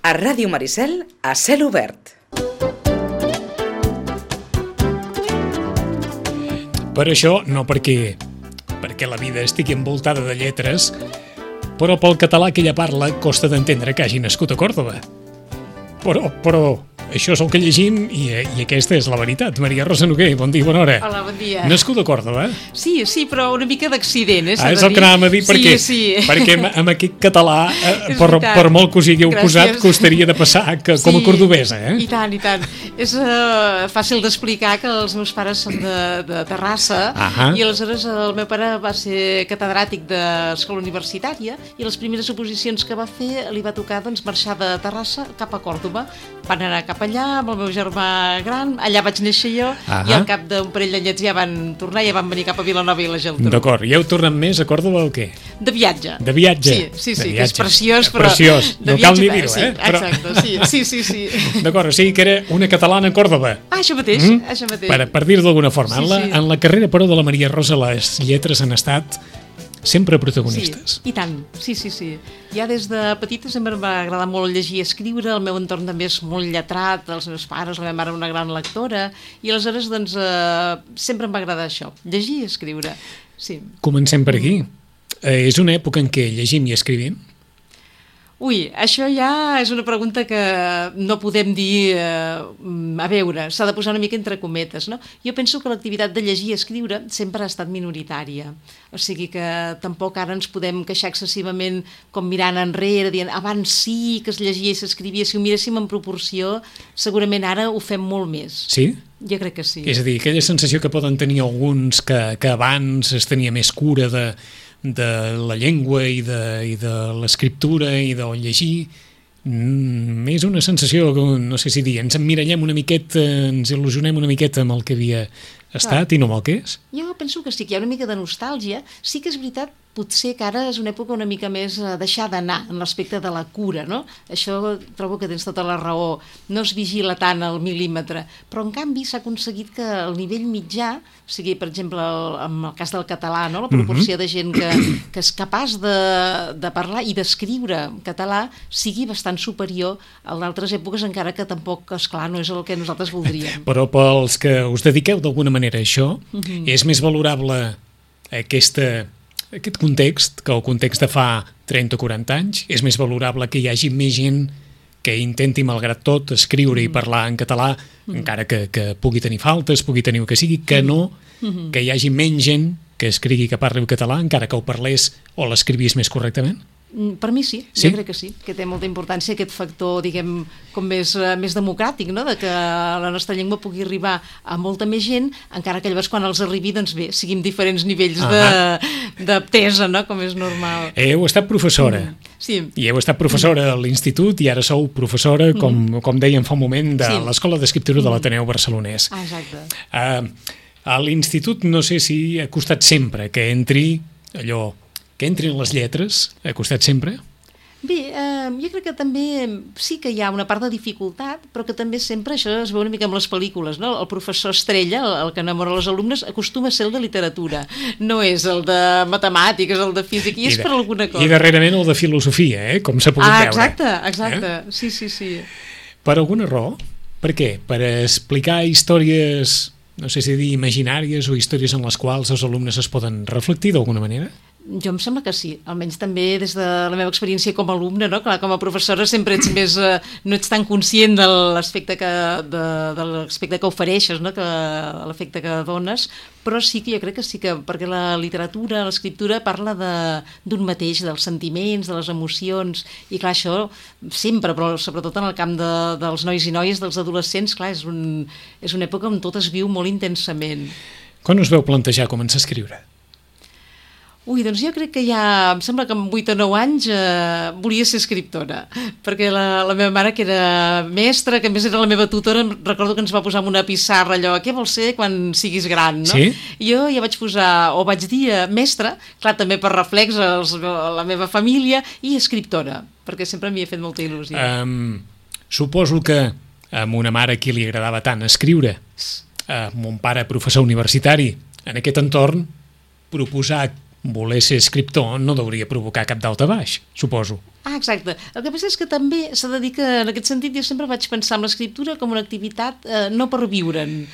A Ràdio Maricel, a cel obert. Per això, no perquè la vida estigui envoltada de lletres, però pel català que ella parla costa d'entendre que hagi nascut a Còrdova. Però això és el que llegim i aquesta és la veritat. Maria Rosa Noguer, bon dia, bona hora. Hola, bon dia. Nascut a Còrdova? Sí, però una mica d'accident, és el que anàvem a dir, perquè amb aquest català, per molt que us hi hagueu posat, costaria de passar com a cordobesa, eh? I tant. És fàcil d'explicar que els meus pares són de Terrassa, i aleshores el meu pare va ser catedràtic d'escola universitària i les primeres oposicions que va fer li va tocar marxar de Terrassa cap a Còrdova. Van anar cap allà amb el meu germà gran, allà vaig néixer jo, i al cap d'un parell d'anyets ja van tornar, ja van venir cap a Vilanova i la Geltrú. D'acord, i heu tornat més a Còrdova o què? De viatge. De viatge? Sí, que és preciós, però... Preciós, no cal ni dir-ho, eh? Exacte, sí. D'acord, o sigui que era una catalana a Còrdova. Això mateix. Per dir-ho d'alguna forma. En la carrera, però, de la Maria Rosa, les lletres han estat sempre protagonistes. Sí, i tant, sí. Ja des de petita sempre m'ha agradat molt llegir i escriure, el meu entorn també és molt lletrat, els meus pares, la meva mare una gran lectora, i aleshores sempre em va agradar això, llegir i escriure. Sí. Comencem per aquí. És una època en què llegim i escrivim? Ui, això ja és una pregunta que no podem dir, a veure, s'ha de posar una mica entre cometes, no? Jo penso que l'activitat de llegir i escriure sempre ha estat minoritària, o sigui que tampoc ara ens podem queixar excessivament com mirant enrere, dient abans sí que es llegia i s'escrivia, si ho miréssim en proporció, segurament ara ho fem molt més. Sí? Jo crec que sí. És a dir, aquella sensació que poden tenir alguns que abans es tenia més cura de la llengua i de l'escriptura i d'on llegir, és una sensació, no sé si dir, ens emmirallem una miqueta, ens il·lusionem una miqueta amb el que havia estat i no amb el que és? Jo penso que sí, que hi ha una mica de nostàlgia. Sí que és veritat, potser que ara és una època una mica més deixar d'anar en l'aspecte de la cura, no? Això trobo que tens tota la raó, no es vigila tant al mil·límetre, però en canvi s'ha aconseguit que el nivell mitjà, o sigui, per exemple, en el cas del català, no? La proporció de gent que és capaç de parlar i d'escriure en català sigui bastant superior a d'altres èpoques, encara que tampoc, esclar, no és el que nosaltres voldríem. Però pels que us dediqueu d'alguna manera a això, és més valorable aquest context, que el context de fa 30 o 40 anys, és més valorable que hi hagi més gent que intenti, malgrat tot, escriure i parlar en català, encara que pugui tenir faltes, pugui tenir el que sigui, que no, que hi hagi menys gent que escrigui, que parli en català, encara que ho parlés o l'escrivís més correctament? Per mi sí, jo crec que sí, que té molta importància aquest factor, diguem, com més democràtic, no?, de que la nostra llengua pugui arribar a molta més gent, encara que llavors quan els arribi, doncs bé, siguin diferents nivells d'aptesa, no?, com és normal. Heu estat professora. Sí. I heu estat professora a l'institut i ara sou professora, com dèiem fa un moment, de l'Escola d'Escriptura de l'Ateneu Barcelonès. Exacte. A l'institut no sé si ha costat sempre que entrin les lletres, ha costat sempre? Bé, jo crec que també sí que hi ha una part de dificultat, però que també sempre, això es veu una mica amb les pel·lícules, no? El professor estrella, el que enamora els alumnes, acostuma a ser el de literatura, no és el de matemàtiques, el de física, i és per alguna cosa. I darrerament el de filosofia, com s'ha pogut veure. Exacte, sí. Per alguna raó? Per què? Per explicar històries, no sé si dir imaginàries o històries en les quals els alumnes es poden reflectir d'alguna manera? Jo em sembla que sí, almenys també des de la meva experiència com a alumne, no? Clar, com a professora sempre ets més, no ets tan conscient de l'aspecte que ofereixes, no? L'efecte que dones, però sí que jo crec que sí que, perquè la literatura, l'escriptura parla d'un mateix, dels sentiments, de les emocions, i clar, això sempre, però sobretot en el camp dels nois i noies, dels adolescents, clar, és una època on tot es viu molt intensament. Quan us veu plantejar començar a escriure? Ui, doncs jo crec que ja, em sembla que amb 8 o 9 anys volia ser escriptora, perquè la meva mare, que era mestra, que a més era la meva tutora, recordo que ens va posar en una pissarra allò, què vols ser quan siguis gran, no? Sí? Jo ja vaig posar, o vaig dir mestra, clar, també per reflex a la meva família, i escriptora, perquè sempre m'hi ha fet molta il·lusió. Suposo que amb una mare a qui li agradava tant escriure, amb un pare professor universitari, en aquest entorn, proposar voler ser escriptor no hauria provocar cap dalt a baix, suposo. Exacte. El que passa és que també s'ha de dir que en aquest sentit jo sempre vaig pensar en l'escriptura com una activitat no per viure'n.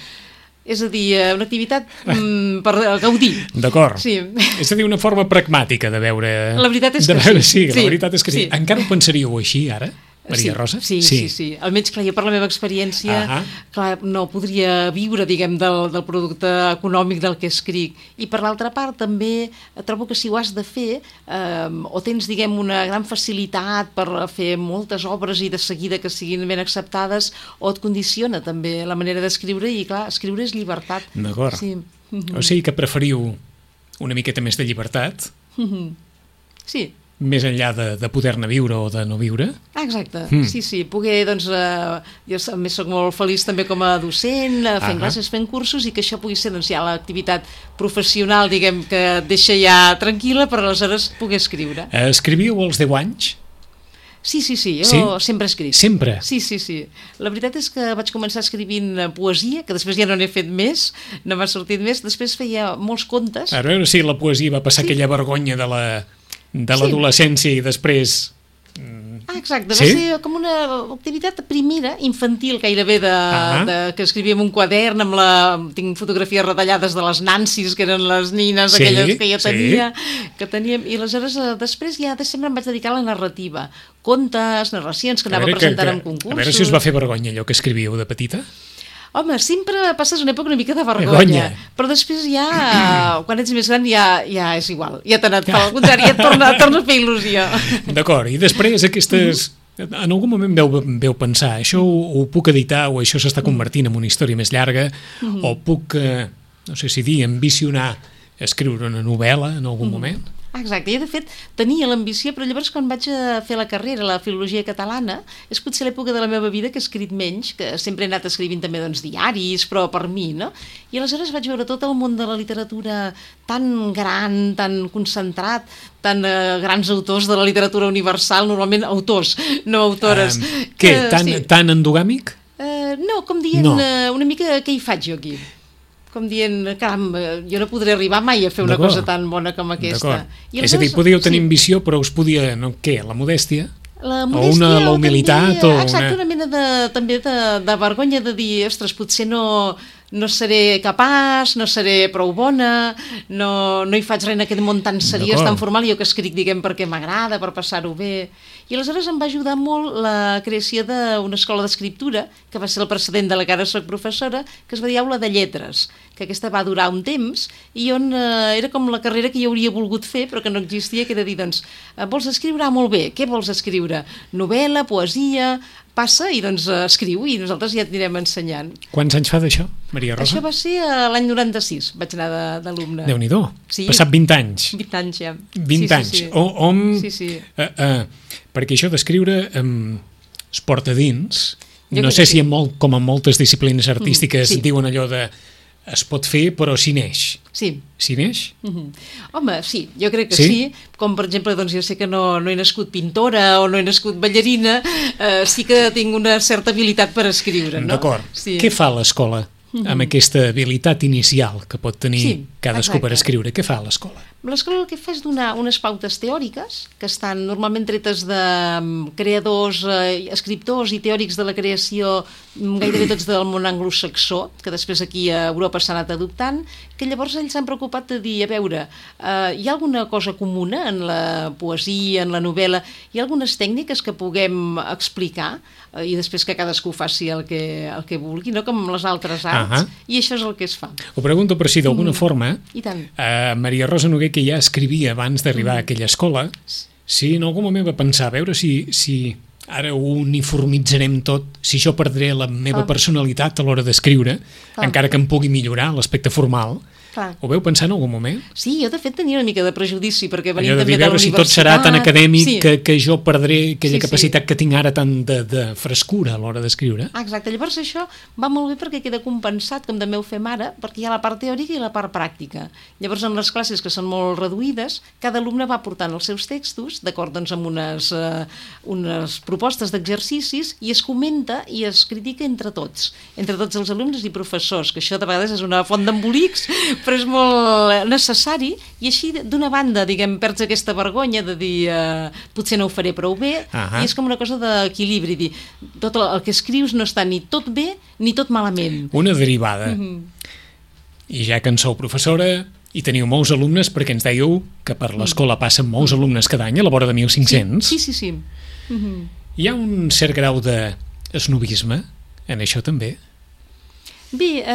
És a dir, una activitat per gaudir. D'acord. Sí. És a dir, una forma pragmàtica de veure... La veritat és que sí. La veritat és que sí. Encara ho pensaríeu així, ara? Maria Rosa? Sí. Almenys, clar, jo per la meva experiència, clar, no podria viure, diguem, del producte econòmic del que escric. I per l'altra part, també trobo que si ho has de fer, o tens, diguem, una gran facilitat per fer moltes obres i de seguida que siguin ben acceptades, o et condiciona també la manera d'escriure, i clar, escriure és llibertat. D'acord. Sí. O sigui que preferiu una miqueta més de llibertat? Sí. Més enllà de poder-ne viure o de no viure? Exacte, sí, poder, doncs, jo a més soc molt feliç també com a docent, fent classes, fent cursos, i que això pugui ser, doncs, ja l'activitat professional, diguem, que et deixa ja tranquil·la per aleshores poder escriure. Escrivíeu als 10 anys? Sí, jo sempre he escrit. Sempre? Sí. La veritat és que vaig començar escrivint poesia, que després ja no n'he fet més, no m'ha sortit més, després feia molts contes. A veure si la poesia va passar aquella vergonya de l'adolescència i després... Exacte, va ser com una activitat primera, infantil gairebé, que escrivíem un quadern tinc fotografies retallades de les Nancies, que eren les nines aquelles que jo tenia, que teníem, i aleshores després ja sempre em vaig dedicar a la narrativa, contes, narracions que anava presentant en concursos. A veure si us va fer vergonya allò que escrivíeu de petita? Home, sempre passes una època una mica de vergonya, però després ja, quan ets més gran, ja és igual, ja t'ha anat pel contrari, ja et torna a fer il·lusió. D'acord, i després aquestes... En algun moment veu pensar, això ho puc editar o això s'està convertint en una història més llarga, o puc, no sé si dir, ambicionar escriure una novel·la en algun moment? Exacte, jo de fet tenia l'ambició, però llavors quan vaig fer la carrera, la filologia catalana, és potser l'època de la meva vida que he escrit menys, que sempre he anat escrivint també diaris, però per mi, no? I aleshores vaig veure tot el món de la literatura tan gran, tan concentrat, tan grans autors de la literatura universal, normalment autors, no autores. Què, tan endogàmic? No, com dient una mica què hi faig jo aquí? Com dient, caram, jo no podré arribar mai a fer una cosa tan bona com aquesta. És a dir, podíeu tenir ambició, però us podia, la modèstia? La modèstia, la humilitat? Exacte, una mena també de vergonya de dir, ostres, potser no seré capaç, no seré prou bona, no hi faig res en aquest món tan seriós, tan formal, jo que escric, diguem, perquè m'agrada, per passar-ho bé. I aleshores em va ajudar molt la creació d'una escola d'escriptura, que va ser el precedent de la que ara soc professora, que es va dir Aula de Lletres, que aquesta va durar un temps, i on era com la carrera que jo hauria volgut fer, però que no existia, que era dir, doncs, vols escriure? Molt bé, què vols escriure? Novel·la, poesia... Passa i doncs escriu i nosaltres ja et anirem ensenyant. Quants anys fa d'això, Maria Rosa? Això va ser l'any 96, vaig anar d'alumne. Déu-n'hi-do, passat 20 anys. 20 anys ja. 20 anys. Sí. Perquè això d'escriure es porta dins. No sé si com en moltes disciplines artístiques diuen allò de es pot fer però s'hi neix. Sí. S'hi neix? Home, sí, jo crec que sí. Com per exemple, doncs jo sé que no he nascut pintora o no he nascut ballarina, sí que tinc una certa habilitat per escriure, no? D'acord. Què fa l'escola amb aquesta habilitat inicial que pot tenir cadascú per escriure? Què fa l'escola? L'escola el que fa és donar unes pautes teòriques que estan normalment tretes de creadors, escriptors i teòrics de la creació, gairebé tots del món anglosaxó, que després aquí a Europa s'ha anat adoptant, que llavors ells s'han preocupat de dir, a veure, hi ha alguna cosa comuna en la poesia, en la novel·la, hi ha algunes tècniques que puguem explicar i després que cadascú faci el que vulgui, no com les altres arts, i això és el que es fa. Ho pregunto per si d'alguna forma Maria Rosa Noguer, que ja escrivia abans d'arribar a aquella escola, si en algun moment va pensar, a veure si ara ho uniformitzarem tot, si jo perdré la meva personalitat a l'hora d'escriure, encara que em pugui millorar l'aspecte formal. Ho veu pensar en algun moment? Sí, jo de fet tenia una mica de prejudici, perquè venim també de la universitat. Si tot serà tan acadèmic que jo perdré aquella capacitat que tinc ara tant de frescura a l'hora d'escriure. Exacte, llavors això va molt bé perquè queda compensat, com també ho fem ara, perquè hi ha la part teòrica i la part pràctica. Llavors en les classes que són molt reduïdes, cada alumne va portant els seus textos, d'acord doncs amb unes propostes d'exercicis, i es comenta i es critica entre tots els alumnes i professors, que això de vegades és una font d'embolics, però és molt necessari, i així d'una banda, diguem, perds aquesta vergonya de dir potser no ho faré prou bé, i és com una cosa d'equilibri, dir, tot el que escrius no està ni tot bé ni tot malament. Una derivada. I ja que en sou professora i teniu molts alumnes, perquè ens dèieu que per l'escola passen molts alumnes cada any, a la vora de 1.500. Sí. Hi ha un cert grau d'esnobisme en això també? Bé,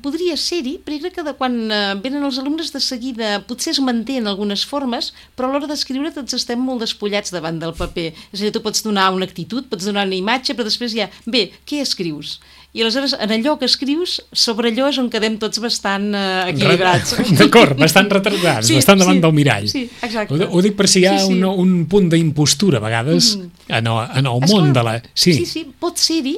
podria ser-hi, però crec que quan venen els alumnes de seguida potser es manté en algunes formes, però a l'hora d'escriure tots estem molt despullats davant del paper. És a dir, tu pots donar una actitud, pots donar una imatge, però després ja, bé, què escrius? I aleshores, en allò que escrius, sobre allò és on quedem tots bastant equilibrats. D'acord, bastant retardats, bastant davant del mirall. Sí, exacte. Ho dic per si hi ha un punt d'impostura, a vegades, en el món de la... Sí, pot ser-hi.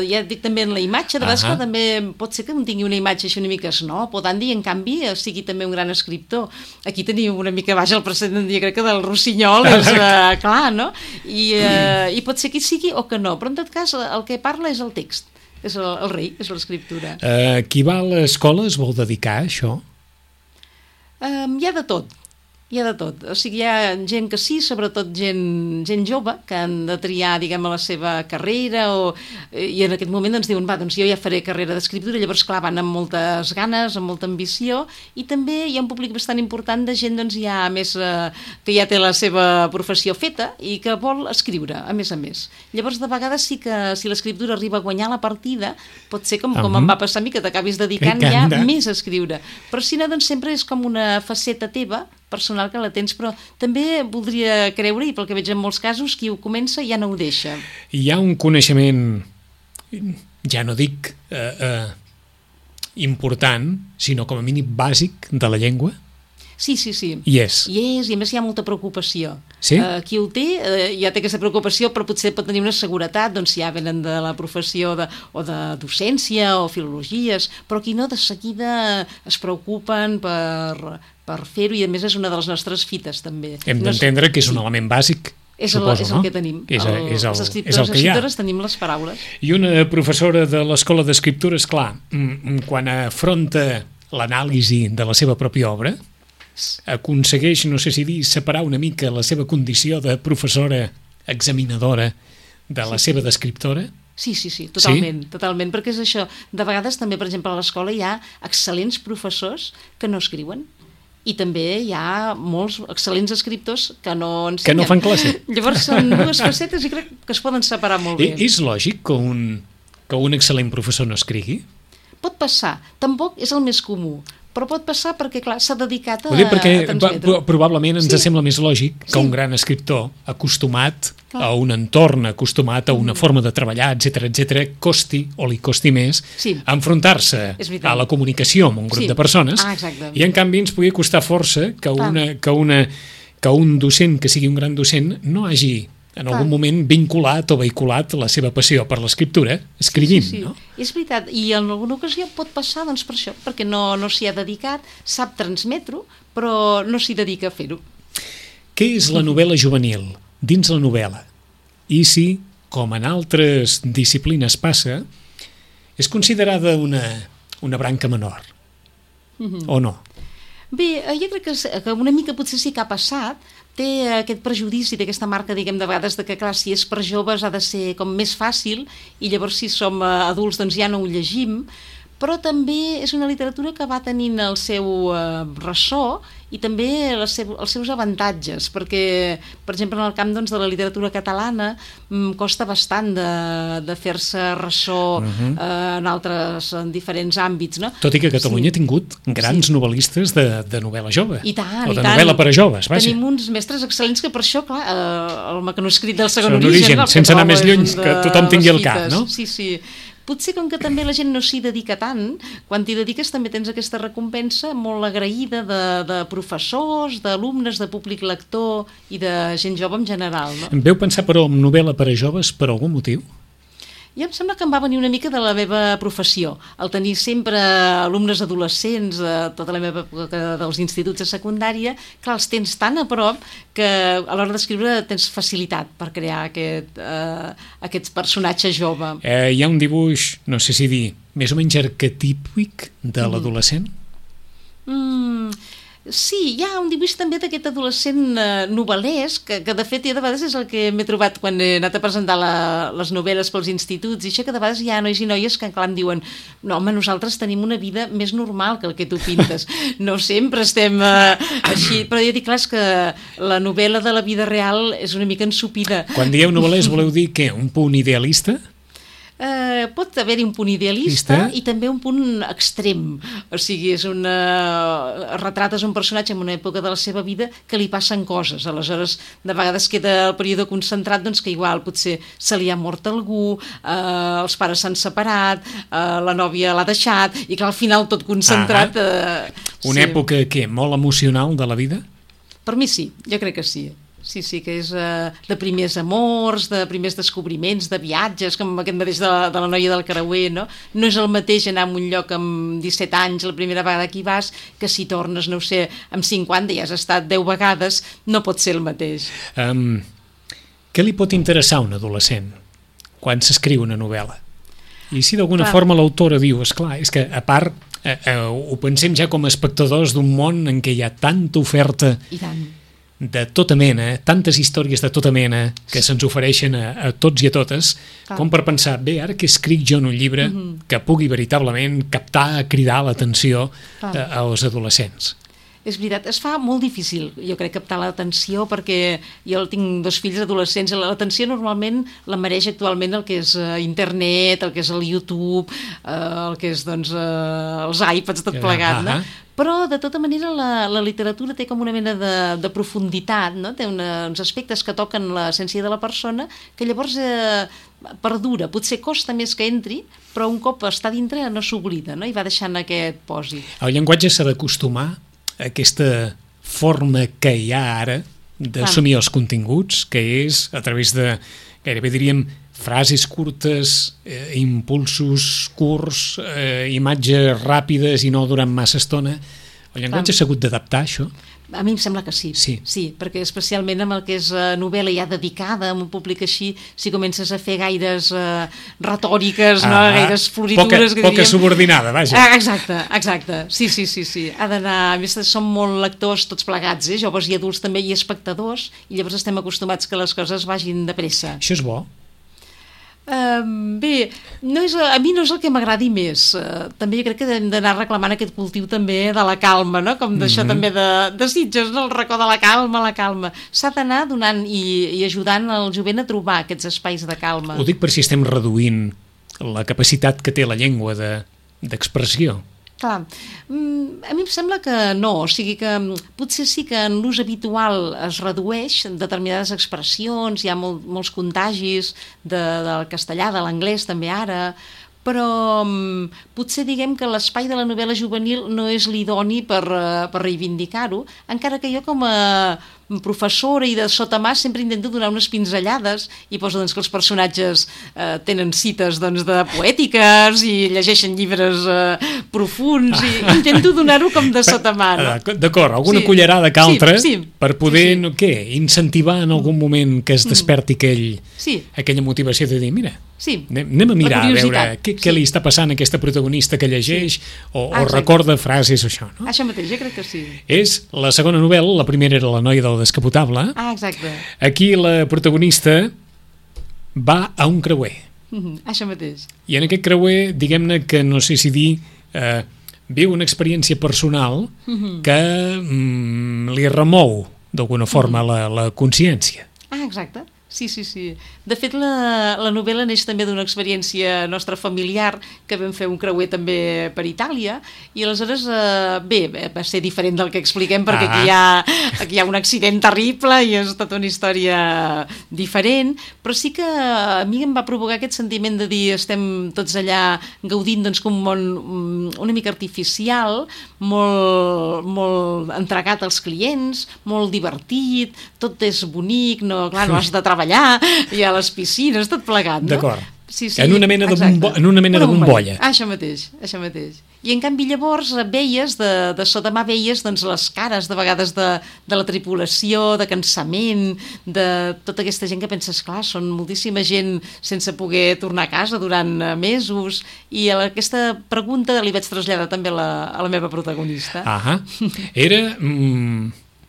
Ja dic també en la imatge, de vegades també pot ser que tingui una imatge així una mica snob, o Dandy, en canvi, sigui també un gran escriptor. Aquí teniu una mica baix el precedent, jo crec que del Rossinyol, és clar, no? I pot ser que hi sigui o que no, però en tot cas el que parla és el text. És el rei, és l'escriptura. Qui va a l'escola es vol dedicar a això? Hi ha de tot. Hi ha de tot. O sigui, hi ha gent que sí, sobretot gent jove, que han de triar, diguem, la seva carrera, i en aquest moment doncs diuen, doncs jo ja faré carrera d'escriptura, llavors, clar, van amb moltes ganes, amb molta ambició, i també hi ha un públic bastant important de gent, doncs, ja més, que ja té la seva professió feta i que vol escriure, a més. Llavors, de vegades sí que si l'escriptura arriba a guanyar la partida, pot ser com em va passar a mi, que t'acabis dedicant ja més a escriure. Però si no, doncs sempre és com una faceta teva, personal, que la tens, però també voldria creure, i pel que veig en molts casos, qui ho comença ja no ho deixa. Hi ha un coneixement, ja no dic important, sinó com a mínim bàsic de la llengua? Sí. I és. I a més hi ha molta preocupació. Sí? Qui ho té ja té aquesta preocupació, però potser pot tenir una seguretat, doncs ja venen de la professió o de docència o filologies, però qui no, de seguida es preocupen per fer-ho, i a més és una de les nostres fites també. Hem d'entendre que és un element bàsic, suposo, no? És el que tenim. Els escriptors i escriptores tenim les paraules. I una professora de l'Escola d'Escriptura, esclar, quan afronta l'anàlisi de la seva pròpia obra, aconsegueix, no sé si dir, separar una mica la seva condició de professora examinadora de la seva d'escriptora? Sí, totalment, perquè és això. De vegades també, per exemple, a l'escola hi ha excel·lents professors que no escriuen, i també hi ha molts excel·lents escriptors que no ensenyen. Que no fan classe. Llavors són dues facetes i crec que es poden separar molt bé. És lògic que un excel·lent professor no escrigui? Pot passar, tampoc és el més comú, però pot passar perquè, clar, s'ha dedicat a transmetre. Probablement ens sembla més lògic que un gran escriptor acostumat a un entorn, acostumat a una forma de treballar, etc, costi o li costi més enfrontar-se a la comunicació amb un grup de persones, i en canvi ens pugui costar força que un docent que sigui un gran docent no hagi en algun moment vinculat o vehiculat la seva passió per l'escriptura, escrivint, no? És veritat, i en alguna ocasió pot passar, doncs, per això, perquè no s'hi ha dedicat, sap transmetre-ho, però no s'hi dedica a fer-ho. Què és la novel·la juvenil dins la novel·la? I si, com en altres disciplines passa, és considerada una branca menor, o no? Bé, jo crec que una mica potser sí que ha passat, té aquest prejudici d'aquesta marca, diguem, de vegades, de que, clar, si és per joves ha de ser com més fàcil, i llavors si som adults doncs ja no ho llegim, però també és una literatura que va tenint el seu ressò i també els seus avantatges, perquè, per exemple, en el camp de la literatura catalana costa bastant de fer-se ressò en altres diferents àmbits, no? Tot i que Catalunya ha tingut grans novel·listes de novel·la jove. I tant, o de novel·la per a joves, vaja. Tenim uns mestres excel·lents que per això, clar, el mecanoscrit del segon origen, sense anar més lluny, que tothom tingui el cap, no? Sí. Potser com que també la gent no s'hi dedica tant, quan t'hi dediques també tens aquesta recompensa molt agraïda de professors, d'alumnes, de públic lector i de gent jove en general, no? Em veu pensar, però, en novel·la per a joves per algun motiu? I em sembla que em va venir una mica de la meva professió, el tenir sempre alumnes adolescents, tota la meva època dels instituts de secundària, clar, els tens tan a prop que a l'hora d'escriure tens facilitat per crear aquest personatge jove. Hi ha un dibuix, no sé si dir, més o menys arquetípic de l'adolescent? Sí, hi ha un dibuix també d'aquest adolescent novel·lesc, que de fet de vegades és el que m'he trobat quan he anat a presentar les novel·les pels instituts, i això que de vegades hi ha nois i noies que clar em diuen no home, nosaltres tenim una vida més normal que el que tu pintes, no sempre estem així, però jo dic clar, és que la novel·la de la vida real és una mica ensupida. Quan dieu novel·les voleu dir què? Un punt idealista? Pot haver-hi un punt idealista i també un punt extrem, o sigui, retrates un personatge en una època de la seva vida que li passen coses, aleshores de vegades queda el període concentrat doncs que igual potser se li ha mort algú, els pares s'han separat, la nòvia l'ha deixat i clar, al final tot concentrat una època què? Molt emocional de la vida? Per mi sí, jo crec que sí. Sí, que és de primers amors, de primers descobriments, de viatges, com aquest mateix de la noia del Creuer, no? No és el mateix anar a un lloc amb 17 anys, la primera vegada que hi vas, que si tornes, no ho sé, amb 50 i has estat 10 vegades, no pot ser el mateix. Què li pot interessar a un adolescent quan s'escriu una novel·la? I si d'alguna forma l'autora diu, esclar, és que a part ho pensem ja com a espectadors d'un món en què hi ha tanta oferta i tant de tota mena, tantes històries de tota mena que se'ns ofereixen a tots i a totes, com per pensar, bé, ara que escric jo en un llibre que pugui veritablement captar, cridar l'atenció als adolescents. És veritat, es fa molt difícil, jo crec, captar l'atenció, perquè jo tinc 2 fills adolescents, l'atenció normalment la mereix actualment el que és internet, el que és el YouTube, el que és doncs, els iPads, tot plegat, no? Però, de tota manera, la literatura té com una mena de profunditat, no? Té uns aspectes que toquen l'essència de la persona, que llavors perdura. Potser costa més que entri, però un cop està dintre no s'oblida, no? I va deixant aquest pòsit. El llenguatge s'ha d'acostumar a aquesta forma que hi ha ara d'assumir els continguts, que és a través de, gairebé diríem, frases curtes, impulsos curts, imatges ràpides i no durant massa estona. El llenguatge s'ha hagut d'adaptar, això? A mi em sembla que sí, perquè especialment amb el que és novel·la ja dedicada a un públic així, si comences a fer gaires retòriques, gaires floritures... Poca subordinada, vaja. Exacte, sí. Ha d'anar, a més som molt lectors tots plegats, joves i adults també, i espectadors, i llavors estem acostumats que les coses vagin de pressa. Això és bo? Bé, a mi no és el que m'agradi més. També jo crec que hem d'anar reclamant aquest cultiu també de la calma, no? Com d'això també de Sitges, no? El racó de la calma. S'ha d'anar donant i ajudant el jovent a trobar aquests espais de calma. Ho dic per si estem reduint la capacitat que té la llengua d'expressió. Clar, a mi em sembla que no, o sigui que potser sí que en l'ús habitual es redueix determinades expressions, hi ha molts contagis del castellà, de l'anglès també ara, però potser diguem que l'espai de la novel·la juvenil no és l'idoni per reivindicar-ho, encara que jo com a professora i de sota mà sempre intento donar unes pinzellades i poso doncs, que els personatges tenen cites doncs, de poètiques i llegeixen llibres profuns i intento donar-ho com de sota mà. No? D'acord, alguna cullerada que altra per poder incentivar en algun moment que es desperti aquella motivació de dir, mira, anem a mirar a veure què li està passant a aquesta protagonista que llegeix o recorda frases o això. No? Això mateix, jo crec que sí. És la segona novel·la, la primera era La noia del descapotable. Exacte. Aquí la protagonista va a un creuer. Això mateix. I en aquest creuer, diguem-ne que no sé si dir, viu una experiència personal que li remou d'alguna forma la consciència. Exacte. Sí. De fet, la novel·la neix també d'una experiència nostra familiar, que vam fer un creuer també per Itàlia, i aleshores, va ser diferent del que expliquem, perquè aquí hi ha un accident terrible i és tota una història diferent, però sí que a mi em va provocar aquest sentiment de dir estem tots allà gaudint doncs, com un món una mica artificial, molt entregat als clients, molt divertit, tot és bonic, no has de treballar, hi ha les piscines, tot plegat, no? D'acord. En una mena de bombolla. Això mateix. I en canvi llavors veies, de sota mà veies doncs, les cares de vegades de la tripulació, de cansament, de tota aquesta gent que penses, clar, són moltíssima gent sense poder tornar a casa durant mesos, i aquesta pregunta li vaig traslladar també a la meva protagonista. Era,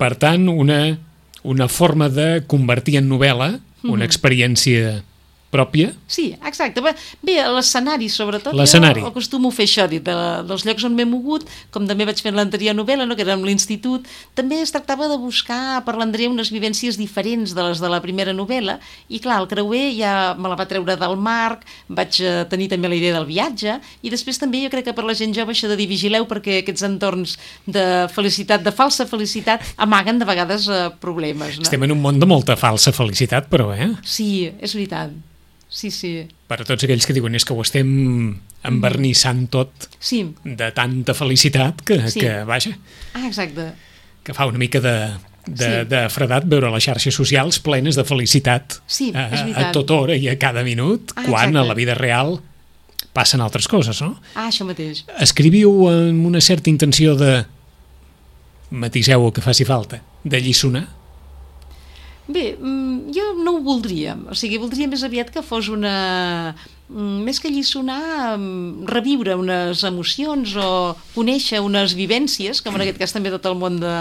per tant, una forma de convertir en novel·la una experiència pròpia? Sí, exacte. Bé, l'escenari, sobretot, l'escenari. Jo acostumo a fer això, dels llocs on m'he mogut, com també vaig fer en l'anterior novel·la, no, que era amb l'institut, també es tractava de buscar per l'Andrea unes vivències diferents de les de la primera novel·la, i clar, el creuer ja me la va treure del Marc, vaig tenir també la idea del viatge, i després també jo crec que per la gent jove això de dir vigileu perquè aquests entorns de felicitat, de falsa felicitat, amaguen de vegades problemes. No? Estem en un món de molta falsa felicitat, però, Sí, és veritat. Sí. Per a tots aquells que diuen és que ho estem envernissant tot de tanta felicitat que vaja, exacte, que fa una mica de fredat veure les xarxes socials plenes de felicitat a tota hora i a cada minut, quan a la vida real passen altres coses, no? Això mateix. Escriviu amb una certa intenció de, matiseu el que faci falta, de lliçonar? Bé, jo no ho voldria, o sigui, voldria més aviat que fos més que lliçonar, reviure unes emocions o conèixer unes vivències, com en aquest cas també tot el món de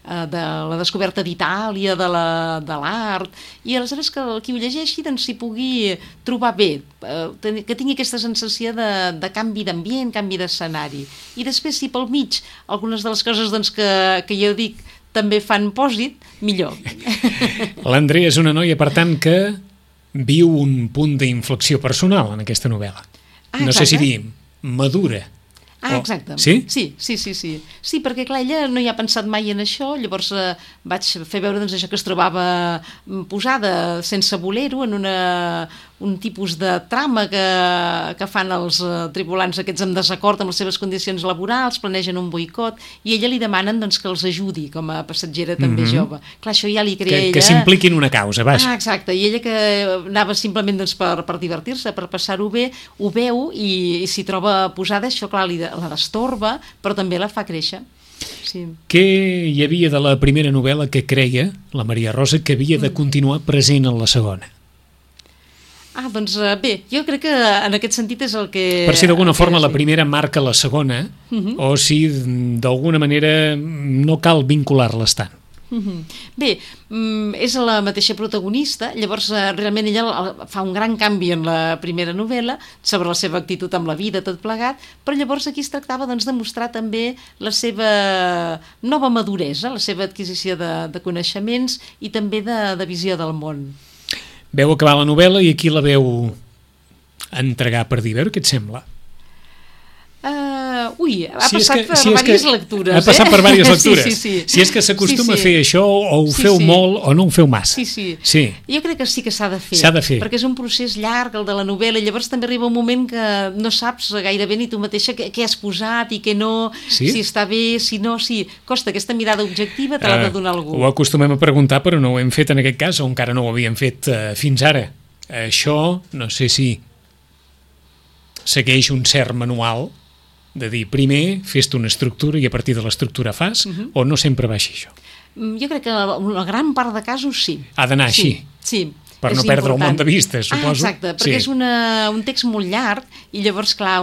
la descoberta d'Itàlia, de l'art, i aleshores que qui ho llegeixi doncs s'hi pugui trobar bé, que tingui aquesta sensació de canvi d'ambient, canvi d'escenari. I després, si pel mig algunes de les coses doncs, que jo dic també fan pòsit, millor. L'Andrea és una noia, per tant, que viu un punt d'inflexió personal en aquesta novel·la. No sé si dir madura. Exacte. Sí? Sí. Sí, perquè clar, ella no hi ha pensat mai en això, llavors vaig fer veure doncs, això que es trobava posada sense voler-ho en un tipus de trama que fan els tripulants aquests en desacord amb les seves condicions laborals, planegen un boicot, i ella li demanen doncs, que els ajudi com a passatgera també jove. Clar, això ja li crea ella... Que s'impliqui en una causa, vaja. Exacte, i ella que anava simplement doncs, per divertir-se, per passar-ho bé, ho veu i s'hi troba posada, això clar, la destorba, però també la fa créixer. Sí. Què hi havia de la primera novel·la que creia, la Maria Rosa, que havia de continuar present en la segona? Doncs bé, jo crec que en aquest sentit és el que... Per si d'alguna forma la primera marca la segona, o si d'alguna manera no cal vincular-les tant. Bé, és la mateixa protagonista, llavors realment ella fa un gran canvi en la primera novel·la sobre la seva actitud amb la vida, tot plegat, però llavors aquí es tractava doncs, de mostrar també la seva nova maduresa, la seva adquisició de coneixements i també de visió del món. Veu acabar la novel·la i aquí la veu entregar per dir, què et sembla? Ha passat per diverses lectures. Ha passat per diverses lectures. Sí. Si és que s'acostuma a fer això, o ho feu molt o no ho feu massa. Sí. Jo crec que sí que s'ha de fer. S'ha de fer. Perquè és un procés llarg, el de la novel·la, i llavors també arriba un moment que no saps gairebé ni tu mateixa què has posat i què no, si està bé, si no, costa aquesta mirada objectiva, te l'ha de donar algú. Ho acostumem a preguntar, però no ho hem fet en aquest cas, o encara no ho havíem fet fins ara. Això, no sé si segueix un cert manual de dir, primer fes-te una estructura i a partir de l'estructura fas, o no sempre va així això? Jo crec que una gran part de casos sí. Ha d'anar així? Sí. Per no perdre el món de vista, suposo. Exacte, perquè és un text molt llarg i llavors, clar,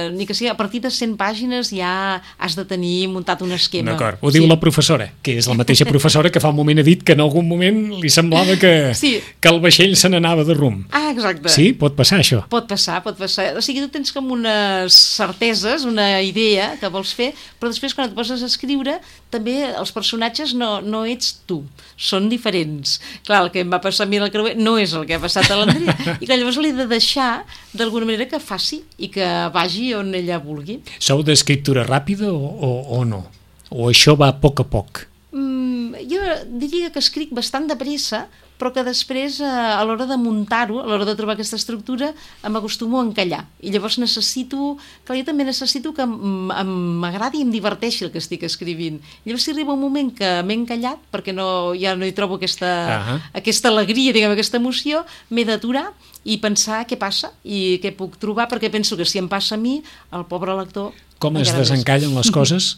ni que sigui a partir de 100 pàgines ja has de tenir muntat un esquema. D'acord, ho diu la professora, que és la mateixa professora que fa un moment ha dit que en algun moment li semblava que el vaixell se n'anava de rumb. Exacte. Sí? Pot passar això? Pot passar. O sigui, tu tens com unes certeses, una idea que vols fer, però després quan et poses a escriure també els personatges no ets tu, són diferents. Clar, el que em va passar a mi en el creuer no és el que ha passat a l'Andrea. I clar, llavors l'he de deixar d'alguna manera que faci i que vagi on ella vulgui. Sou d'escriptura ràpida o no? O això va a poc a poc? Jo diria que escric bastant de pressa, però que després, a l'hora de muntar-ho, a l'hora de trobar aquesta estructura, m'acostumo a encallar. I llavors jo també necessito que m'agradi i em diverteixi el que estic escrivint. Llavors si arriba un moment que m'he encallat, perquè ja no hi trobo aquesta alegria, diguem, aquesta emoció, m'he d'aturar i pensar què passa i què puc trobar, perquè penso que si em passa a mi, el pobre lector Com es desencallen les coses,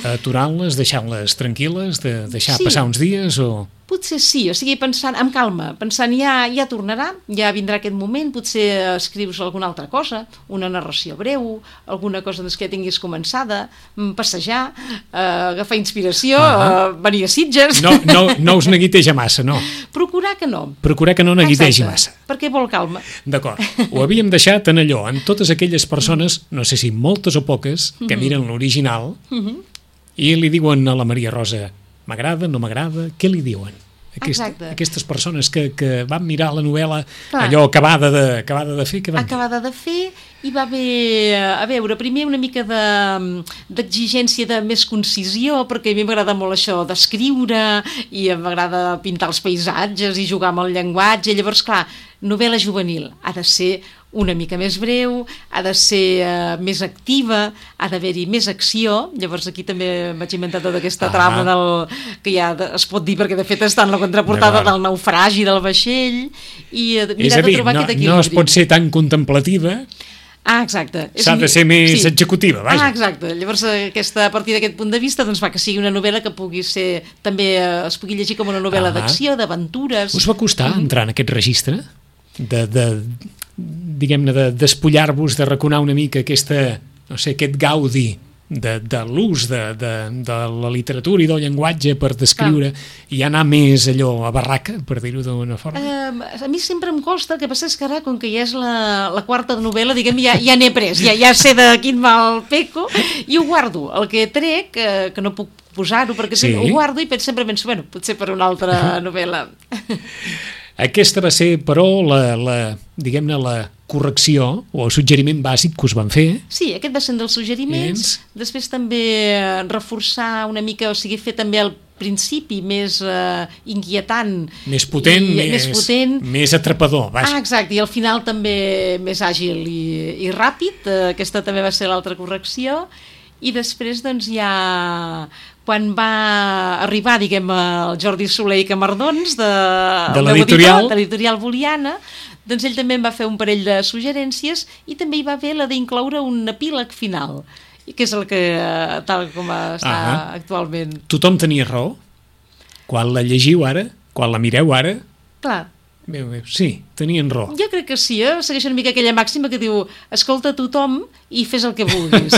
aturant-les, deixant-les tranquil·les, de deixar passar uns dies o... Potser sí, o sigui, pensant, amb calma, pensant ja tornarà, ja vindrà aquest moment, potser escrius alguna altra cosa, una narració breu, alguna cosa que ja tinguis començada, passejar, agafar inspiració, venir a Sitges... No us neguiteja massa, no? Procurar que no. Procurar que no neguitegi massa. Perquè vol calma. D'acord. Ho havíem deixat en allò, en totes aquelles persones, no sé si moltes o poques, que miren l'original i li diuen a la Maria Rosa: m'agrada, no m'agrada, què li diuen? Aquestes persones que van mirar la novel·la, allò acabada de fer, què van dir? Acabada de fer, i va haver, a veure, primer una mica d'exigència de més concisió, perquè a mi m'agrada molt això d'escriure, i m'agrada pintar els paisatges i jugar amb el llenguatge, llavors, clar, novel·la juvenil ha de ser una mica més breu, ha de ser més activa, ha d'haver-hi més acció. Llavors aquí també vaig inventar tota aquesta trama que ja es pot dir, perquè de fet està en la contraportada del naufragi del vaixell, i mirar de trobar aquest equilibri. No es pot ser tan contemplativa. Exacte. S'ha de ser més executiva, vaja. Exacte. Llavors, a partir d'aquest punt de vista, doncs fa que sigui una novel·la que pugui ser, també es pugui llegir com una novel·la d'acció, d'aventures. Us va costar entrar en aquest registre? Diguem-ne, de despullar-vos, de raconar una mica aquest gaudi de l'ús de la literatura i del llenguatge per descriure i anar més allò a barraca, per dir-ho d'una forma? A mi sempre em costa, el que passa és que ara, com que ja és la quarta novel·la, diguem, ja n'he pres, ja sé de quin va el peco, i ho guardo. El que trec, que no puc posar-ho, perquè ho guardo i sempre penso, bueno, potser per una altra novel·la. Aquesta va ser, però, diguem-ne, la correcció o el suggeriment bàsic que us van fer. Sí, aquest va ser un dels suggeriments. Després també reforçar una mica, o sigui, fer també el principi més inquietant. Més potent, més atrapador. Exacte, i al final també més àgil i ràpid. Aquesta també va ser l'altra correcció. I després, doncs, ja... quan va arribar, diguem, el Jordi Soler i Camardons de l'editorial Boliana, doncs ell també em va fer un parell de suggerències i també hi va haver la d'incloure un epíleg final, que és el que, tal com està actualment. Tothom tenia raó? Quan la llegiu ara? Quan la mireu ara? Clar. Sí, tenien raó. Jo crec que sí, segueix una mica aquella màxima que diu: escolta tothom i fes el que vulguis.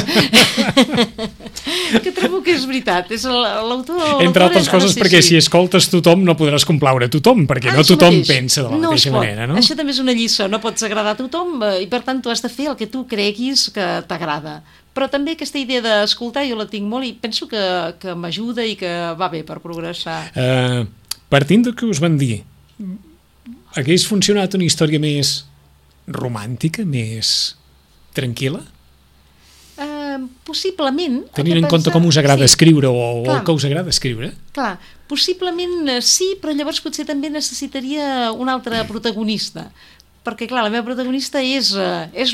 Que trobo que és veritat, és l'autor... Entre altres coses, perquè si escoltes tothom no podràs complaure tothom, perquè no tothom pensa de la mateixa manera, no? Això també és una lliçó, no pots agradar a tothom i per tant tu has de fer el que tu creguis que t'agrada. Però també aquesta idea d'escoltar jo la tinc molt i penso que m'ajuda i que va bé per progressar. Partint del que us van dir, hagués funcionat una història més romàntica, més tranquil·la? Possiblement. Tenint en compte com us agrada escriure o que us agrada escriure? Clar, possiblement sí, però llavors potser també necessitaria un altre protagonista. Perquè, clar, la meva protagonista és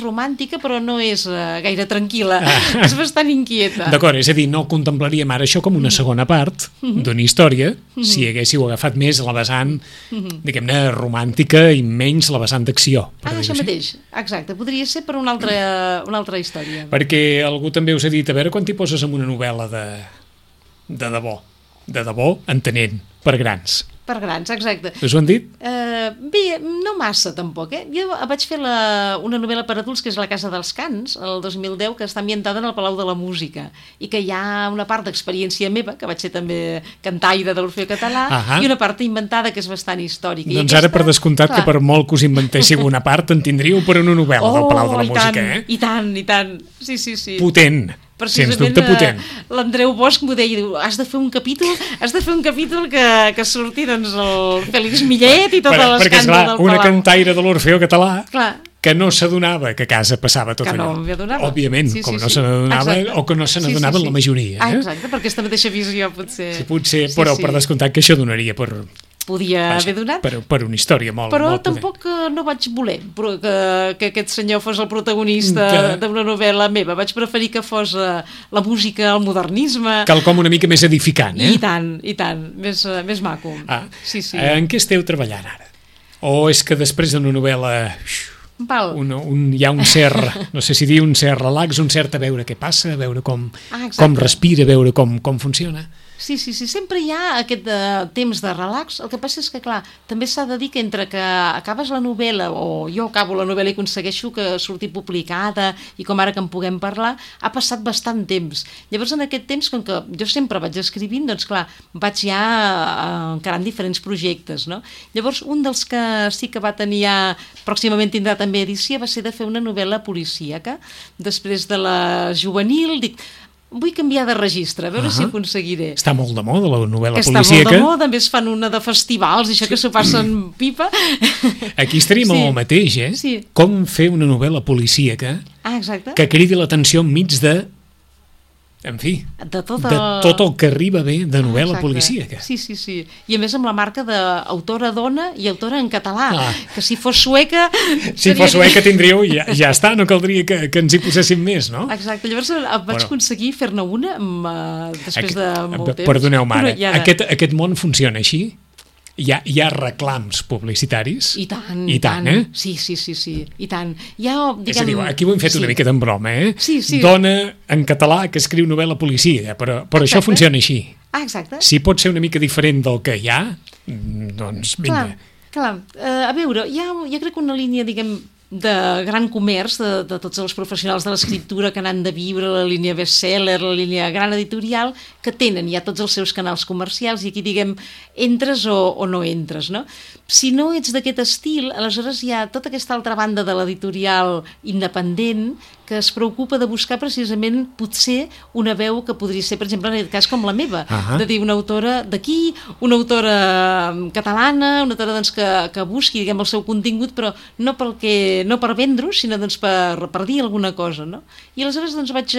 romàntica, però no és gaire tranquil·la. És bastant inquieta. D'acord, és a dir, no contemplaríem ara això com una segona part d'una història, si haguéssiu agafat més la vessant, diguem-ne, romàntica i menys la vessant d'acció. Això mateix, exacte. Podria ser per una altra història. Perquè algú també us ha dit, a veure quan t'hi poses en una novel·la de debò, entenent, per grans. Per grans, exacte. Us ho han dit? Bé, no massa tampoc, Jo vaig fer una novel·la per adults que és La Casa dels Cants, el 2010, que està ambientada en el Palau de la Música i que hi ha una part d'experiència meva, que vaig ser també cantaire de l'Orfeó Català, i una part inventada que és bastant històrica. Doncs ara, per descomptat, que per molt que us inventéssiu una part, en tindríeu per una novel·la del Palau de la Música, I tant. Sí. Potent. Sens dubte potent. L'Andreu Bosch m'ho deia, diu, has de fer un capítol que surti doncs el Félix Millet i tot l'escàndol del Palau. Una cantaire de l'Orfeó Català que no s'adonava que a casa passava tot allò. Que no m'hi adonava. Òbviament, com no se n'adonava o que no se n'adonaven la majoria. Exacte, perquè aquesta mateixa visió potser... Sí, potser, però per descomptat que això donaria per... Podia haver donat. Per una història molt Però molt tampoc no vaig voler que aquest senyor fos el protagonista d'una novel·la meva. Vaig preferir que fos la música, el modernisme... Quelcom una mica més edificant, I tant, més maco. En què esteu treballant ara? O és que després d'una novel·la Val. Hi ha un cert, no sé si dir un cert relax, un cert a veure què passa, a veure com exacte. respira, a veure com funciona. Sí, sempre hi ha aquest temps de relax. El que passa és que, clar, també s'ha de dir que entre que acabes la novel·la, o jo acabo la novel·la i aconsegueixo que surti publicada, i com ara que en puguem parlar, ha passat bastant temps. Llavors, en aquest temps, com que jo sempre vaig escrivint, doncs, clar, vaig ja encarant diferents projectes, no? Llavors, un dels que sí que va tenir ja, pròximament tindrà també edició, va ser de fer una novel·la policíaca. Després de la juvenil, dic, vull canviar de registre, a veure si aconseguiré. Està molt de moda la novel·la Està policíaca. molt de moda, també es fan una de festivals, i això que s'ho passen pipa. Aquí estaríem amb el mateix, eh? Sí. Com fer una novel·la policíaca Exacte. que cridi l'atenció enmig de... En fi, De tot el que arriba bé de novel·la Exacte. policíaca. Sí. I a més amb la marca d'autora dona i autora en català, que si fos sueca... Si fos sueca tindríeu, ja està, no caldria que ens hi poséssim més, no? Exacte, llavors vaig aconseguir fer-ne una després de molt temps. Perdoneu-me ara, Però aquest món funciona així? Hi ha reclams publicitaris? I tant, eh? Sí, i tant. Ja, diguem... És a dir, aquí ho hem fet una miqueta en broma, eh? Sí. Dona en català que escriu novel·la policíaca, però això funciona així. Exacte. Si pot ser una mica diferent del que hi ha, doncs vinga. Clar. A veure, hi ha crec una línia, diguem, de gran comerç de tots els professionals de l'escriptura que n'han de viure, la línia bestseller, la línia gran editorial, que tenen ja tots els seus canals comercials, i aquí, diguem, entres o no entres, no? Si no ets d'aquest estil, aleshores hi ha tota aquesta altra banda de l'editorial independent que es preocupa de buscar precisament potser una veu que podria ser, per exemple, en aquest cas com la meva, de dir una autora d'aquí, una autora catalana, una autora doncs, que busqui, diguem, el seu contingut, però no per vendre-ho, sinó doncs, per dir alguna cosa, no? I aleshores doncs, vaig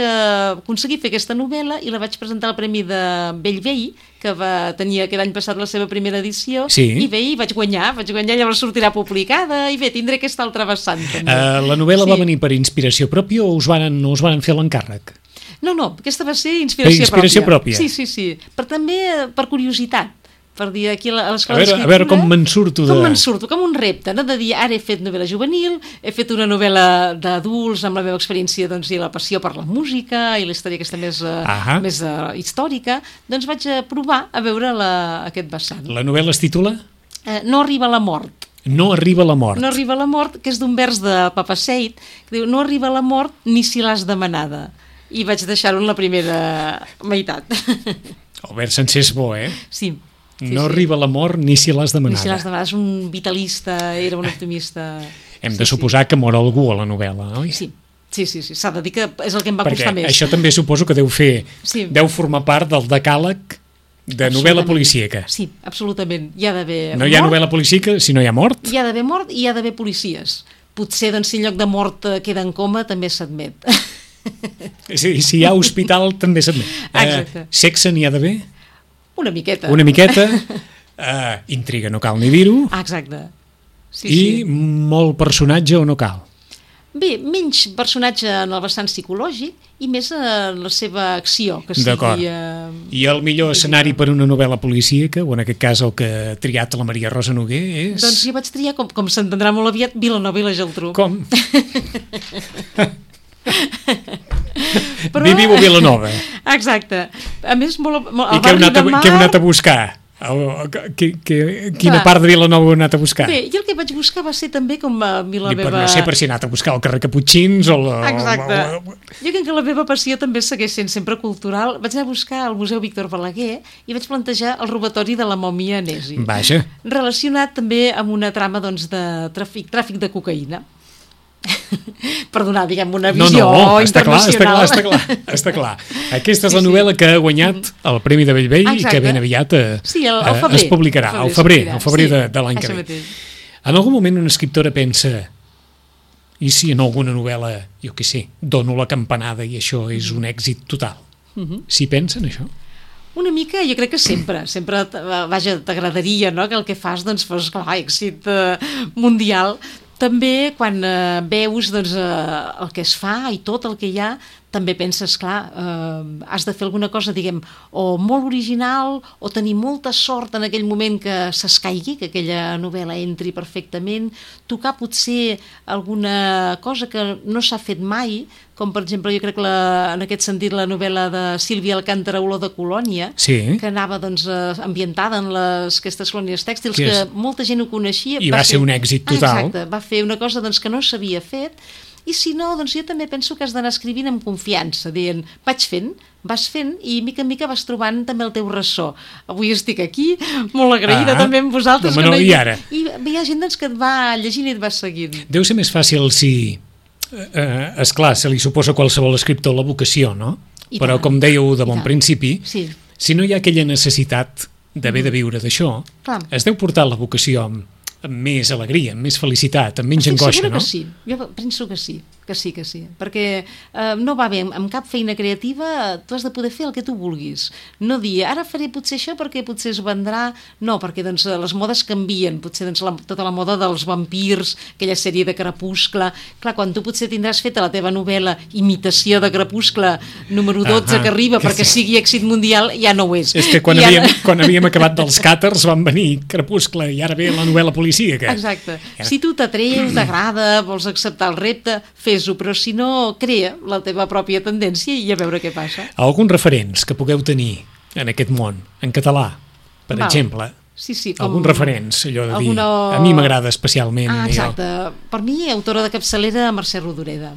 aconseguir fer aquesta novel·la i la vaig presentar al Premi de Bellvei, que va tenir aquest any passat la seva primera edició, i bé, vaig guanyar, llavors sortirà publicada, i bé, tindré aquesta altra vessant. La novel·la va venir per inspiració pròpia o us van fer l'encàrrec? No, aquesta va ser inspiració pròpia. Sí, però també per curiositat, per dir aquí a l'escola d'escriptura... A veure com me'n surto. Com me'n surto, com un repte, no? De dir, ara he fet novel·la juvenil, he fet una novel·la d'adults amb la meva experiència, doncs, i la passió per la música i la història aquesta més històrica, doncs vaig provar a veure aquest vessant. La novel·la es titula? No arriba la mort. No arriba la mort. No arriba la mort, que és d'un vers de Papaseit, que diu, no arriba la mort ni si l'has demanada. I vaig deixar-ho en la primera meitat. El vers sencer és bo, eh? Sí. No arriba la mort ni si l'has demanada. Ni si l'has demanada. És un vitalista, era un optimista. Hem de suposar que mor algú a la novel·la, oi? Sí. S'ha de dir que és el que em va costar més. Perquè això també suposo que deu formar part del decàleg de novel·la policíaca. Sí, absolutament. Hi ha d'haver no hi ha novel·la policíaca si no hi ha mort? Hi ha d'haver mort i hi ha d'haver policies. Potser, doncs, si en lloc de mort queda en coma, també s'admet. Si hi ha hospital, també s'admet. Exacte. Sexe n'hi ha d'haver? Una miqueta. Intriga, no cal ni dir-ho. Exacte. I molt personatge o no cal? Bé, menys personatge en el vessant psicològic i més en la seva acció, que sigui... D'acord. I el millor escenari per una novel·la policíaca, o en aquest cas el que ha triat la Maria Rosa Noguer, és... Doncs jo vaig triar, com s'entendrà molt aviat, Vilanova i la Geltrú. Com? Viviu a Vilanova. Exacte. A més, i què heu anat a buscar? Quina part de Vilanova heu anat a buscar? Bé, i el que vaig buscar va ser també com la meva... No sé per si he anat a buscar el carrer Caputxins o la... Exacte. Jo crec que la meva passió també segueix sent sempre cultural. Vaig anar a buscar al Museu Víctor Balaguer i vaig plantejar el robatori de la mòmia Nesi. Vaja. Relacionat també amb una trama doncs, de tràfic de cocaïna. Per donar, diguem, una visió internacional. Està clar. Aquesta és la novel·la que ha guanyat el Premi de Bellvei i que ben aviat es publicarà, al febrer de l'any que ve. En algun moment una escriptora pensa, i si en alguna novel·la, jo què sé, dono la campanada i això és un èxit total? Si pensen això? Una mica, jo crec que sempre, vaja, t'agradaria, no?, que el que fas doncs, fos, clar, èxit mundial. També quan veus doncs, el que es fa i tot el que hi ha, també penses, clar, has de fer alguna cosa, diguem, o molt original, o tenir molta sort en aquell moment que s'escaigui, que aquella novel·la entri perfectament, tocar potser alguna cosa que no s'ha fet mai, com per exemple, jo crec en aquest sentit la novel·la de Sílvia Alcántara, Olor de Colònia, sí, que anava doncs, ambientada en aquestes colònies tèxtils, que molta gent ho coneixia. I va ser un èxit total. Exacte, va fer una cosa doncs, que no s'havia fet, i si no, doncs jo també penso que has d'anar escrivint amb confiança, dient, vaig fent, vas fent, i mica en mica vas trobant també el teu ressò. Avui estic aquí, molt agraïda també amb vosaltres. No, i ara? I hi ha gent doncs, que et va llegint i et va seguint. Deu ser més fàcil si, esclar, se li suposa a qualsevol escriptor la vocació, no? Però com dèieu de bon principi, si no hi ha aquella necessitat d'haver de viure d'això, es deu portar la vocació amb més alegria, amb més felicitat, amb menys angoixa, no? Que sí, jo penso que sí, perquè no va bé, amb cap feina creativa tu has de poder fer el que tu vulguis, no dir, ara faré potser això perquè potser es vendrà, no, perquè doncs, les modes canvien, potser doncs, tota la moda dels vampirs, aquella sèrie de Crepuscle, clar, quan tu potser tindràs feta la teva novel·la imitació de Crepuscle número 12 que arriba perquè sigui èxit mundial, ja no ho és. És que quan havíem acabat dels càters van venir Crepuscle i ara ve la novel·la policíaca. Exacte. Si tu t'atreu, t'agrada, vols acceptar el repte, fes-ho, però si no, crea la teva pròpia tendència i a veure què passa. Alguns referents que pugueu tenir en aquest món, en català, per exemple. Sí, alguns referents, allò de dir, a mi m'agrada especialment. Exacte. Per mi, autora de capçalera, Mercè Rodoreda.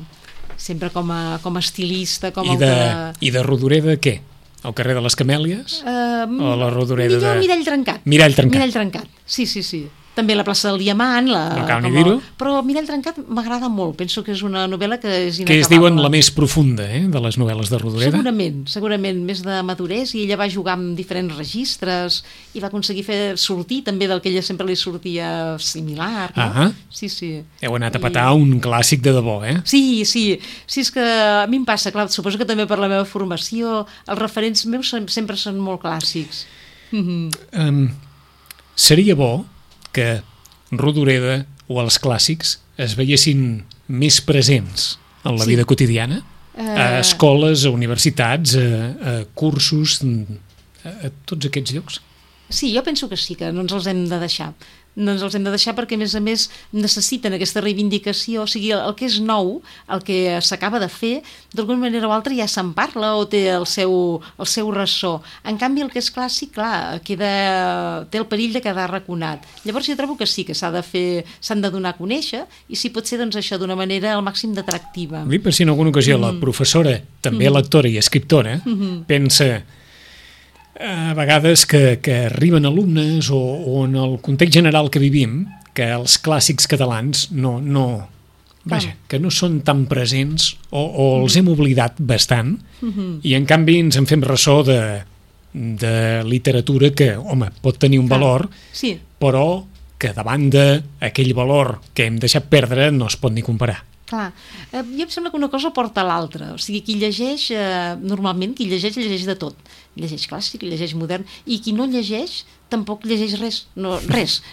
Sempre com a estilista, com a autora... I de Rodoreda, què? Al carrer de les Camèlies? O la Rodoreda de... Mirall Trencat. Mirall Trencat. Mirall Trencat, sí. També la plaça del Diamant, no cal ni dir-ho. Però Mirall Trencat m'agrada molt, penso que és una novel·la que és inacabable. Que es diuen la més profunda de les novel·les de Rodoreda. Segurament, més de maduresa, i ella va jugar amb diferents registres i va aconseguir fer sortir també del que ella sempre li sortia similar, no? Sí. Heu anat a petar un clàssic de debò, Sí, és que a mi em passa, clar, suposo que també per la meva formació els referents meus sempre són molt clàssics. Seria bo que Rodoreda o els clàssics es veiessin més presents en la vida quotidiana, a escoles, a universitats, a cursos, a tots aquests llocs? Sí, jo penso que sí, que no ens els hem de deixar. No ens els hem de deixar perquè, a més, necessiten aquesta reivindicació, o sigui, el que és nou, el que s'acaba de fer, d'alguna manera o altra ja se'n parla o té el seu ressò. En canvi, el que és clàssic, clar, té el perill de quedar arraconat. Llavors jo trobo que sí, que s'han de donar a conèixer, i si pot ser, doncs, això d'una manera al màxim d'atractiva. Vull per si en alguna ocasió la professora, també lectora i escriptora, pensa... a vegades que arriben alumnes o en el context general que vivim, que els clàssics catalans que no són tan presents o els hem oblidat bastant, i en canvi ens en fem ressò de literatura que, home, pot tenir un valor, però que davant d'aquell valor que hem deixat perdre no es pot ni comparar. Clar, jo em sembla que una cosa porta a l'altra, o sigui, qui llegeix, normalment, qui llegeix de tot, llegeix clàssic, llegeix modern, i qui no llegeix tampoc llegeix res,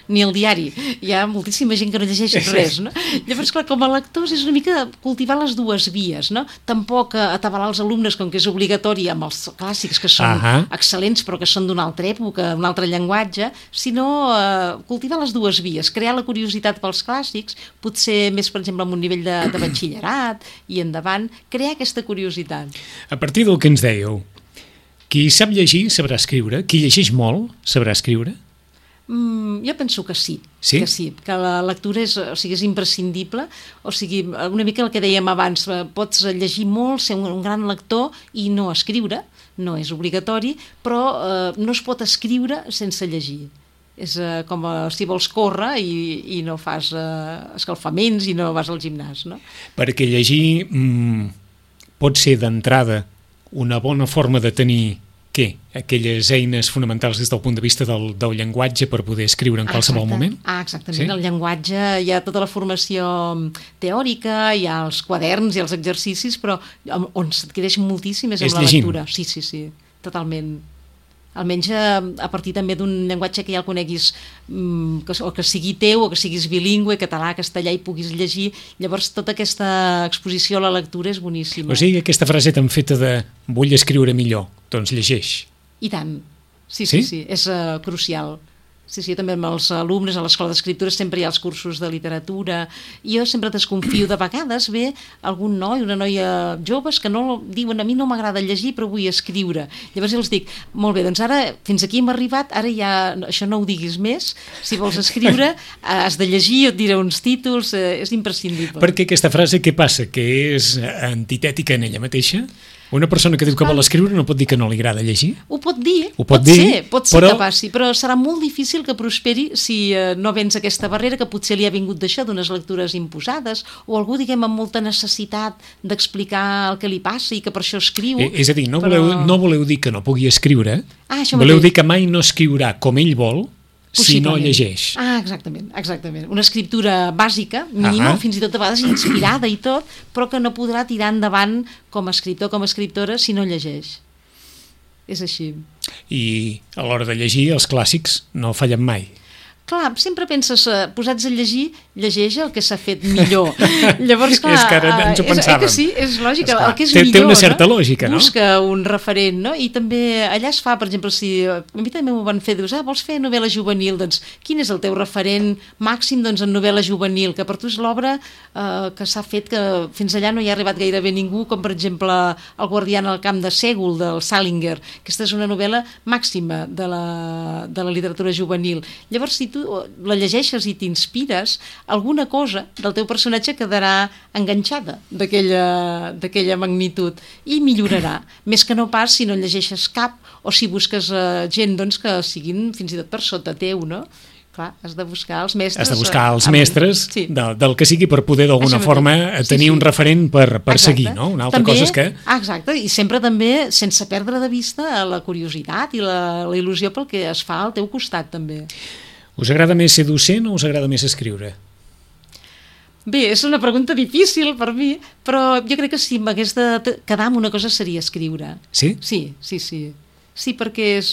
ni el diari. Hi ha moltíssima gent que no llegeix res, no? Llavors, clar, com a lectors és una mica cultivar les dues vies, no? Tampoc atabalar els alumnes com que és obligatori amb els clàssics, que són excel·lents però que són d'una altra època, d'un altre llenguatge, sinó cultivar les dues vies, crear la curiositat pels clàssics, potser més, per exemple, amb un nivell de batxillerat i endavant, crear aquesta curiositat. A partir del que ens dèieu, qui sap llegir sabrà escriure? Qui llegeix molt sabrà escriure? Jo penso que sí, que la lectura és imprescindible, o sigui, una mica el que dèiem abans, pots llegir molt, ser un gran lector i no escriure, no és obligatori, però no es pot escriure sense llegir. És com si vols córrer i no fas escalfaments i no vas al gimnàs, no? Perquè llegir pot ser d'entrada una bona forma de tenir, aquelles eines fonamentals des del punt de vista del llenguatge per poder escriure en qualsevol moment? Exactament, sí? El llenguatge, hi ha tota la formació teòrica, hi ha els quaderns i els exercicis, però on s'adquireix moltíssim és amb la lectura. Sí, totalment. almenys a partir també d'un llenguatge que ja el coneguis, o que sigui teu, o que siguis bilingüe, català, castellà, i puguis llegir. Llavors tota aquesta exposició a la lectura és boníssima. O sigui, aquesta frase tan feta de vull escriure millor, doncs llegeix. I tant. Sí, és crucial. Sí, també amb els alumnes a l'escola d'escriptura sempre hi ha els cursos de literatura. Jo sempre desconfio, de vegades ve algun noi, una noia joves que no diuen, a mi no m'agrada llegir però vull escriure. Llavors jo els dic, molt bé, doncs ara fins aquí hem arribat, ara ja això no ho diguis més, si vols escriure has de llegir, jo et diré uns títols, és imprescindible. Perquè aquesta frase què passa? Que és antitètica en ella mateixa? Una persona que diu que vol escriure no pot dir que no li agrada llegir? Ho pot dir, pot ser que passi, però serà molt difícil que prosperi si no vens aquesta barrera que potser li ha vingut d'això, d'unes lectures imposades, o algú, diguem, amb molta necessitat d'explicar el que li passa i que per això escriu. És a dir, no voleu dir que no pugui escriure, això voleu dir que mai no escriurà com ell vol, si no llegeix. Exactament. Una escriptura bàsica, mínima, fins i tot a vegades inspirada i tot, però que no podrà tirar endavant com a escriptor, com a escriptora, si no llegeix. És així. I a l'hora de llegir, els clàssics no fallen mai. Clar, sempre penses, posats a llegir, llegeix el que s'ha fet millor. Llavors, clar, és que ara ens ho pensàvem. Que sí, és lògic, el que és té millor. Té una certa lògica, no? Busca un referent, no? I també allà es fa, per exemple, si a mi també m'ho van fer, dius, vols fer novel·la juvenil? Doncs quin és el teu referent màxim en novel·la juvenil? Que per tu és l'obra que s'ha fet, que fins allà no hi ha arribat gairebé ningú, com per exemple El guardián al camp de Sègol, del Salinger. Aquesta és una novel·la màxima de la literatura juvenil. Llavors, si tu la llegeixes i t'inspires, alguna cosa del teu personatge quedarà enganxada d'aquella magnitud i millorarà, més que no pas si no llegeixes cap o si busques gent que siguin fins i tot per sota teu, no? Clar, has de buscar els mestres. Has de buscar els mestres del que sigui per poder d'alguna forma tenir un referent per seguir, no? Una altra cosa és que... Exacte, i sempre també sense perdre de vista la curiositat i la il·lusió pel que es fa al teu costat també. Us agrada més ser docent o us agrada més escriure? Bé, és una pregunta difícil per mi, però jo crec que si m'hagués de quedar amb una cosa seria escriure. Sí? Sí. Sí, perquè és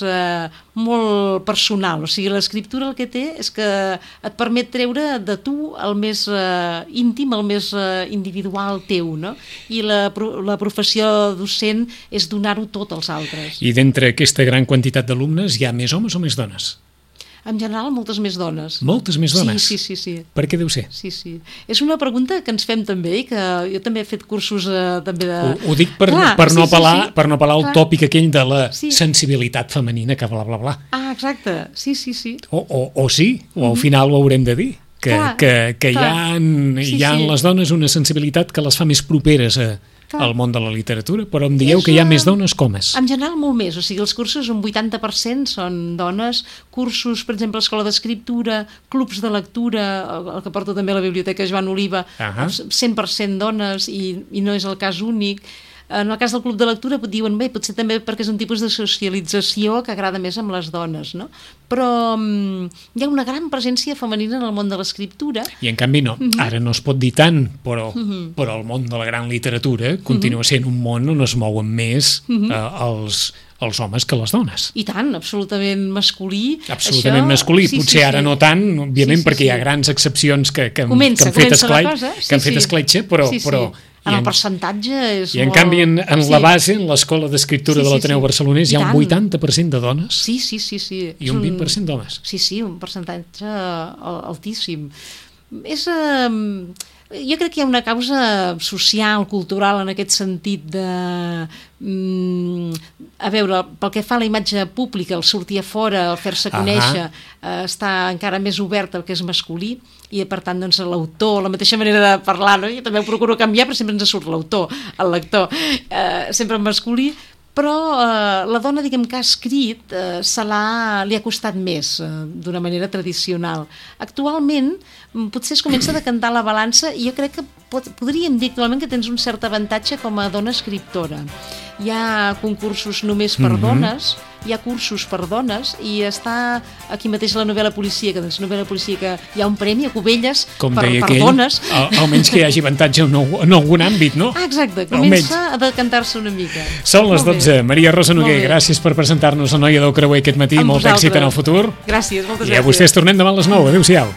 molt personal, o sigui, l'escriptura el que té és que et permet treure de tu el més íntim, el més individual teu, no? I la professió docent és donar-ho tot als altres. I d'entre aquesta gran quantitat d'alumnes hi ha més homes o més dones? En general, moltes més dones. Moltes més dones? Sí. Per què deu ser? Sí. És una pregunta que ens fem també i que jo també he fet cursos també de... Ho dic per no apel·lar al tòpic aquell de la sensibilitat femenina que bla, bla, bla. Exacte. Sí. O sí, o al final ho haurem de dir. Que hi ha en les dones una sensibilitat que les fa més properes al món de la literatura, però em dieu que hi ha més dones com és? En general molt més, o sigui, els cursos un 80% són dones, cursos, per exemple, a l'escola d'escriptura, clubs de lectura, el que porta també a la biblioteca Joan Oliva, 100% dones i no és el cas únic. En el cas del club de lectura diuen, bé, potser també perquè és un tipus de socialització que agrada més amb les dones, no? Però hi ha una gran presència femenina en el món de l'escriptura. I en canvi no, ara no es pot dir tant, però el món de la gran literatura continua sent un món on es mouen més els homes que les dones. I tant, absolutament masculí. Absolutament masculí, potser ara no tant, òbviament, perquè hi ha grans excepcions que han fet escletxa, però en el percentatge és I en canvi en la base, en l'escola d'escriptura de l'Ateneu Barcelonès, hi ha un 80% de dones i un 20% d'homes. Sí, un percentatge altíssim. Jo crec que hi ha una causa social, cultural, en aquest sentit de... A veure, pel que fa a la imatge pública, el sortir a fora, el fer-se conèixer, està encara més obert al que és masculí, i per tant, doncs, l'autor, la mateixa manera de parlar, no? Jo també ho procuro canviar, però sempre ens surt l'autor, el lector, sempre en masculí, però la dona, diguem, que ha escrit li ha costat més d'una manera tradicional. Actualment potser es comença a decantar la balança i jo crec que podríem dir actualment que tens un cert avantatge com a dona escriptora. Hi ha concursos només per dones, hi ha cursos per dones i està aquí mateix la novel·la policíaca, doncs novel·la policíaca hi ha un premi a Cubelles per dones. Almenys que hi hagi avantatge en algun àmbit, no? Exacte, comença a decantar-se una mica. Són les 12. Maria Rosa Noguer, gràcies per presentar-nos La noia del creuer aquest matí, molt èxit en el futur. Gràcies, moltes gràcies. I a vostès tornem demà a les 9. Adéu-siau.